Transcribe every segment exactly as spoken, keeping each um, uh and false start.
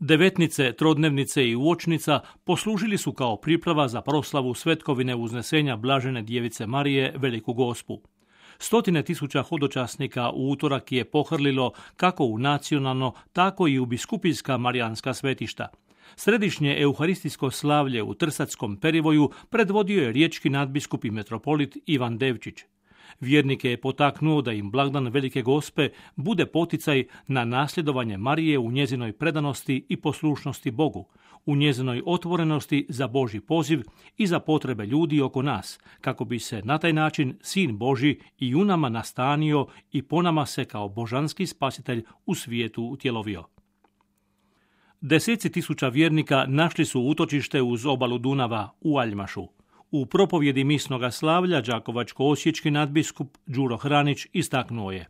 Devetnice, trodnevnice i uočnica poslužili su kao priprava za proslavu svetkovine uznesenja Blažene djevice Marije, Veliku Gospu. Stotine tisuća hodočasnika u utorak je pohrlilo kako u nacionalno, tako i u biskupijska marijanska svetišta. Središnje euharistijsko slavlje u Trsackom perivoju predvodio je riječki nadbiskup i metropolit Ivan Devčić. Vjernike je potaknuo da im blagdan Velike Gospe bude poticaj na nasljedovanje Marije u njezinoj predanosti i poslušnosti Bogu, u njezinoj otvorenosti za Božji poziv i za potrebe ljudi oko nas, kako bi se na taj način Sin Božji i u nama nastanio i po nama se kao božanski spasitelj u svijetu utjelovio. Deseci tisuća vjernika našli su utočište uz obalu Dunava u Aljmašu. U propovjedi misnoga slavlja đakovačko-osječki nadbiskup Đuro Hranić istaknuo je: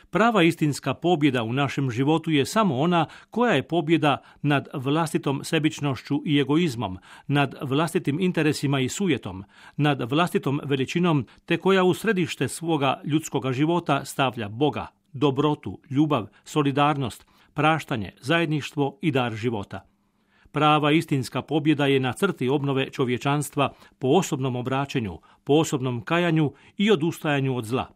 prava istinska pobjeda u našem životu je samo ona koja je pobjeda nad vlastitom sebičnošću i egoizmom, nad vlastitim interesima i sujetom, nad vlastitom veličinom, te koja u središte svoga ljudskoga života stavlja Boga, dobrotu, ljubav, solidarnost, praštanje, zajedništvo i dar života. Prava istinska pobjeda je na crti obnove čovječanstva po osobnom obraćenju, po osobnom kajanju i odustajanju od zla.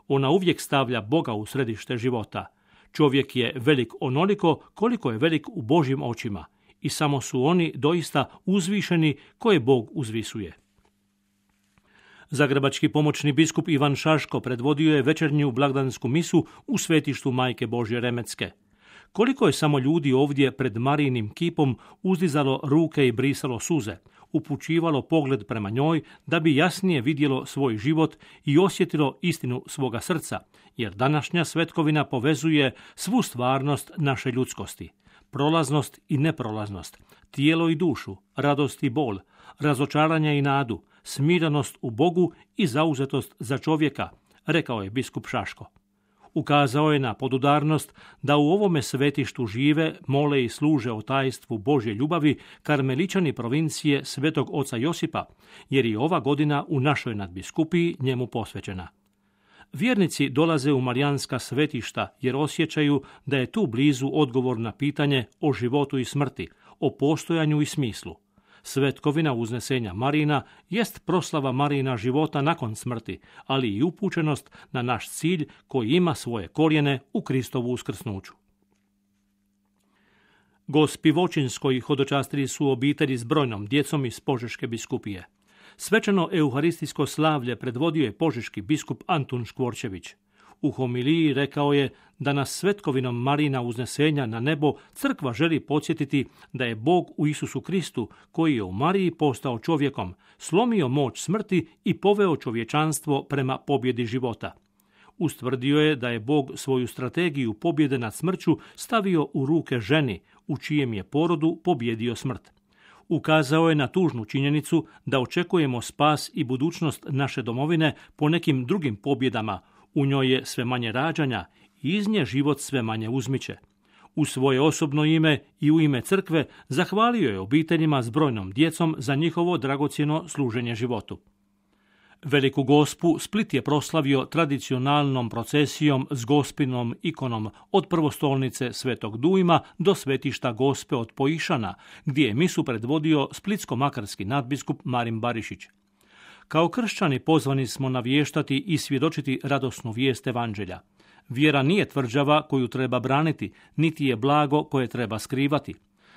Ona uvijek stavlja Boga u središte života. Čovjek je velik onoliko koliko je velik u Božjim očima i samo su oni doista uzvišeni koje Bog uzvisuje. Zagrebački pomoćni biskup Ivan Šaško predvodio je večernju blagdansku misu u svetištu Majke Božje Remetske. Koliko je samo ljudi ovdje pred Marijinim kipom uzdizalo ruke i brisalo suze, upućivalo pogled prema njoj da bi jasnije vidjelo svoj život i osjetilo istinu svoga srca, jer današnja svetkovina povezuje svu stvarnost naše ljudskosti, prolaznost i neprolaznost, tijelo i dušu, radost i bol, razočaranje i nadu, smirenost u Bogu i zauzetost za čovjeka, rekao je biskup Šaško. Ukazao je na podudarnost da u ovome svetištu žive, mole i služe o tajstvu Božje ljubavi karmeličani provincije Svetog oca Josipa, jer i ova godina u našoj nadbiskupiji njemu posvećena. Vjernici dolaze u marijanska svetišta jer osjećaju da je tu blizu odgovor na pitanje o životu i smrti, o postojanju i smislu. Svetkovina uznesenja Marina jest proslava Marijina života nakon smrti, ali i upućenost na naš cilj koji ima svoje korijene u Kristovu uskrsnuću. Gospi Voćinskoj hodočastili su obitelji s brojnom djecom iz Požeške biskupije. Svečano euharistijsko slavlje predvodio je požeški biskup Antun Škvorčević. U homiliji rekao je da nas svetkovinom Marina uznesenja na nebo crkva želi podsjetiti da je Bog u Isusu Kristu, koji je u Mariji postao čovjekom, slomio moć smrti i poveo čovječanstvo prema pobjedi života. Ustvrdio je da je Bog svoju strategiju pobjede nad smrću stavio u ruke ženi, u čijem je porodu pobjedio smrt. Ukazao je na tužnu činjenicu da očekujemo spas i budućnost naše domovine po nekim drugim pobjedama. U njoj je sve manje rađanja i iz nje život sve manje uzmiče. U svoje osobno ime i u ime crkve zahvalio je obiteljima s brojnom djecom za njihovo dragocjeno služenje životu. Veliku Gospu Split je proslavio tradicionalnom procesijom s Gospinom ikonom od prvostolnice Svetog Dujma do svetišta Gospe od Poišana, gdje je misu predvodio splitsko-makarski nadbiskup Marin Barišić. Kao kršćani pozvani smo navještati i svjedočiti radosnu vijest evanđelja. Vjera nije tvrđava koju treba braniti, niti je blago koje treba skrivati.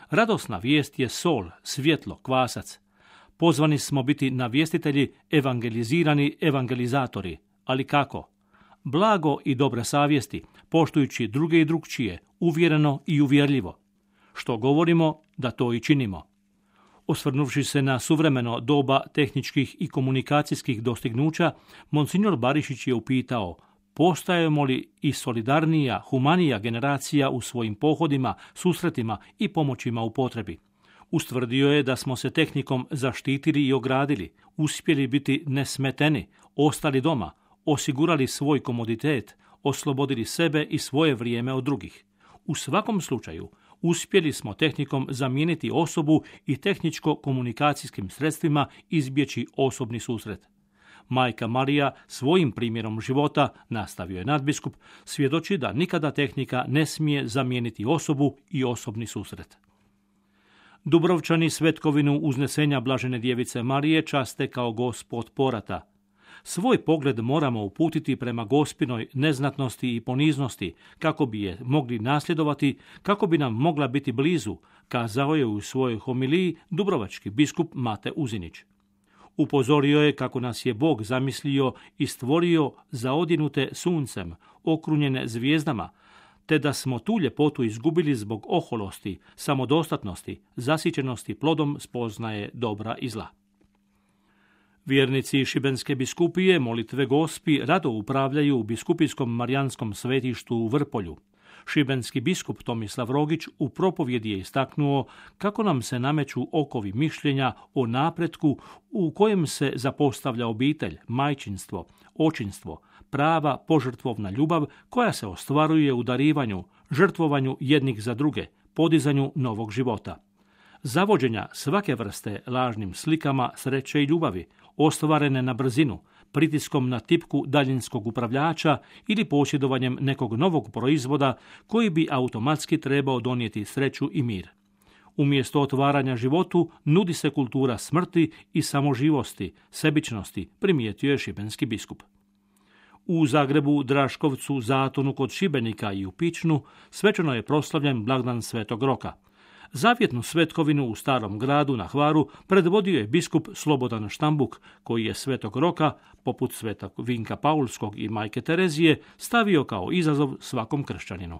Radosna vijest je sol, svjetlo, kvasac. Pozvani smo biti navjestitelji, evangelizirani evangelizatori. Ali kako? Blago i dobre savjesti, poštujući druge i drugčije, uvjereno i uvjerljivo. Što govorimo, da to i činimo. Osvrnuvši se na suvremeno doba tehničkih i komunikacijskih dostignuća, monsignor Barišić je upitao: postajemo li i solidarnija, humanija generacija u svojim pohodima, susretima i pomoćima u potrebi? Ustvrdio je da smo se tehnikom zaštitili i ogradili, uspjeli biti nesmeteni, ostali doma, osigurali svoj komoditet, oslobodili sebe i svoje vrijeme od drugih. U svakom slučaju, uspjeli smo tehnikom zamijeniti osobu i tehničko-komunikacijskim sredstvima izbjeći osobni susret. Majka Marija svojim primjerom života, nastavio je nadbiskup, svjedoči da nikada tehnika ne smije zamijeniti osobu i osobni susret. Dubrovčani svetkovinu uznesenja Blažene djevice Marije časte kao Gospod porata. Svoj pogled moramo uputiti prema Gospinoj neznatnosti i poniznosti, kako bi je mogli nasljedovati, kako bi nam mogla biti blizu, kazao je u svojoj homiliji dubrovački biskup Mate Uzinić. Upozorio je kako nas je Bog zamislio i stvorio zaodjenute suncem, okrunjene zvijezdama, te da smo tu ljepotu izgubili zbog oholosti, samodostatnosti, zasićenosti plodom spoznaje dobra i zla. Vjernici Šibenske biskupije molitve Gospi rado upravljaju u biskupijskom marijanskom svetištu u Vrpolju. Šibenski biskup Tomislav Rogić u propovjedi je istaknuo kako nam se nameću okovi mišljenja o napretku u kojem se zapostavlja obitelj, majčinstvo, očinstvo, prava požrtvovna ljubav koja se ostvaruje u darivanju, žrtvovanju jednih za druge, podizanju novog života. Zavođenja svake vrste lažnim slikama sreće i ljubavi, ostvarene na brzinu, pritiskom na tipku daljinskog upravljača ili posjedovanjem nekog novog proizvoda koji bi automatski trebao donijeti sreću i mir. Umjesto otvaranja životu nudi se kultura smrti i samoživosti, sebičnosti, primijetio je šibenski biskup. U Zagrebu, Draškovcu, Zatonu kod Šibenika i u Pičnu svečano je proslavljen blagdan Svetog Roka. Zavjetnu svetkovinu u Starom gradu na Hvaru predvodio je biskup Slobodan Štambuk, koji je Svetog Roka, poput Svetog Vinka Paulskog i Majke Terezije, stavio kao izazov svakom kršćaninu.